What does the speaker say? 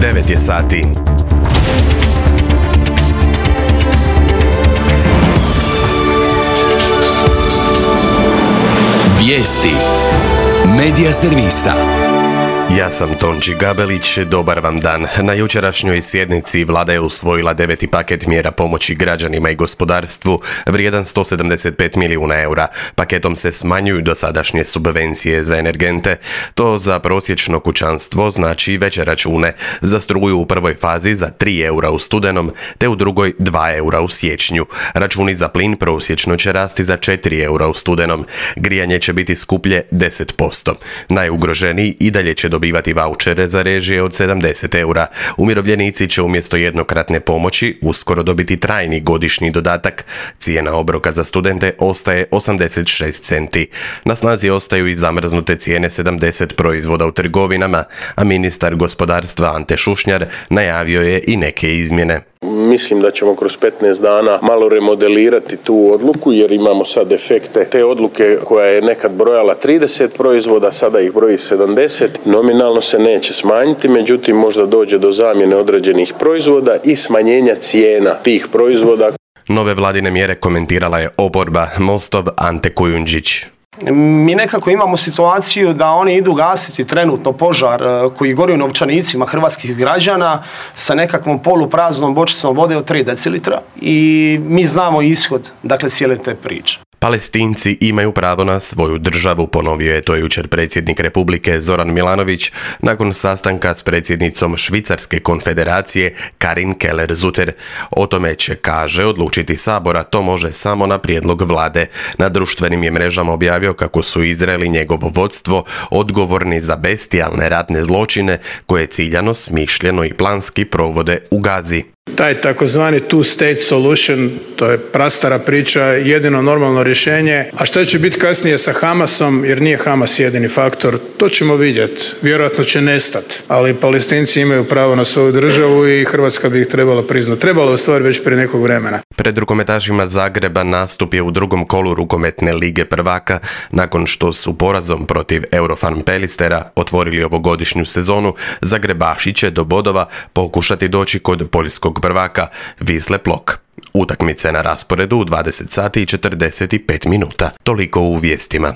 9 je sati. Vijesti Medija servisa. Ja sam Tonči Gabelić, dobar vam dan. Na jučerašnjoj sjednici vlada je usvojila 9. paket mjera pomoći građanima i gospodarstvu vrijedan 175 milijuna eura. Paketom se smanjuju dosadašnje subvencije za energente. To za prosječno kućanstvo znači veće račune. Za struju u prvoj fazi za 3 eura u studenom, te u drugoj 2 eura u siječnju. Računi za plin prosječno će rasti za 4 eura u studenom. Grijanje će biti skuplje 10%. Najugroženiji i dalje će dobivati vaučere za režije od 70 eura. Umirovljenici će umjesto jednokratne pomoći uskoro dobiti trajni godišnji dodatak. Cijena obroka za studente ostaje 86 centi. Na snazi ostaju i zamrznute cijene 70 proizvoda u trgovinama, a ministar gospodarstva Ante Šušnjar najavio je i neke izmjene. Mislim da ćemo kroz 15 dana malo remodelirati tu odluku jer imamo sad efekte te odluke koja je nekad brojala 30 proizvoda, sada ih broji 70. Nominalno se neće smanjiti, međutim možda dođe do zamjene određenih proizvoda i smanjenja cijena tih proizvoda. Nove vladine mjere komentirala je oporba, Mostov Ante Kujundžić. Mi nekako imamo situaciju da oni idu gasiti trenutno požar koji gori u novčanicima hrvatskih građana sa nekakvom polupraznom bočicom vode od 3 decilitra i mi znamo ishod, dakle, cijele te priče. Palestinci imaju pravo na svoju državu, ponovio je to jučer predsjednik Republike Zoran Milanović nakon sastanka s predsjednicom Švicarske konfederacije Karin Keller-Zutter. O tome će, kaže, odlučiti Sabor, a to može samo na prijedlog vlade. Na društvenim je mrežama objavio kako su Izrael i njegovo vodstvo odgovorni za bestijalne ratne zločine koje ciljano, smišljeno i planski provode u Gazi. Taj takozvani two-state solution, to je prastara priča, jedino normalno rješenje. A što će biti kasnije sa Hamasom, jer nije Hamas jedini faktor, to ćemo vidjeti. Vjerojatno će nestati, ali Palestinci imaju pravo na svoju državu i Hrvatska bi ih trebala priznati. Trebalo je u stvari već prije nekog vremena. Pred rukometašima Zagreba nastup je u drugom kolu rukometne lige prvaka nakon što su porazom protiv Eurofan Pelistera otvorili ovogodišnju sezonu. Zagrebaši će do bodova pokušati doći kod poljskog prvaka Wisle Plock. Utakmice na rasporedu u 20 sati i 45 minuta. Toliko u vijestima.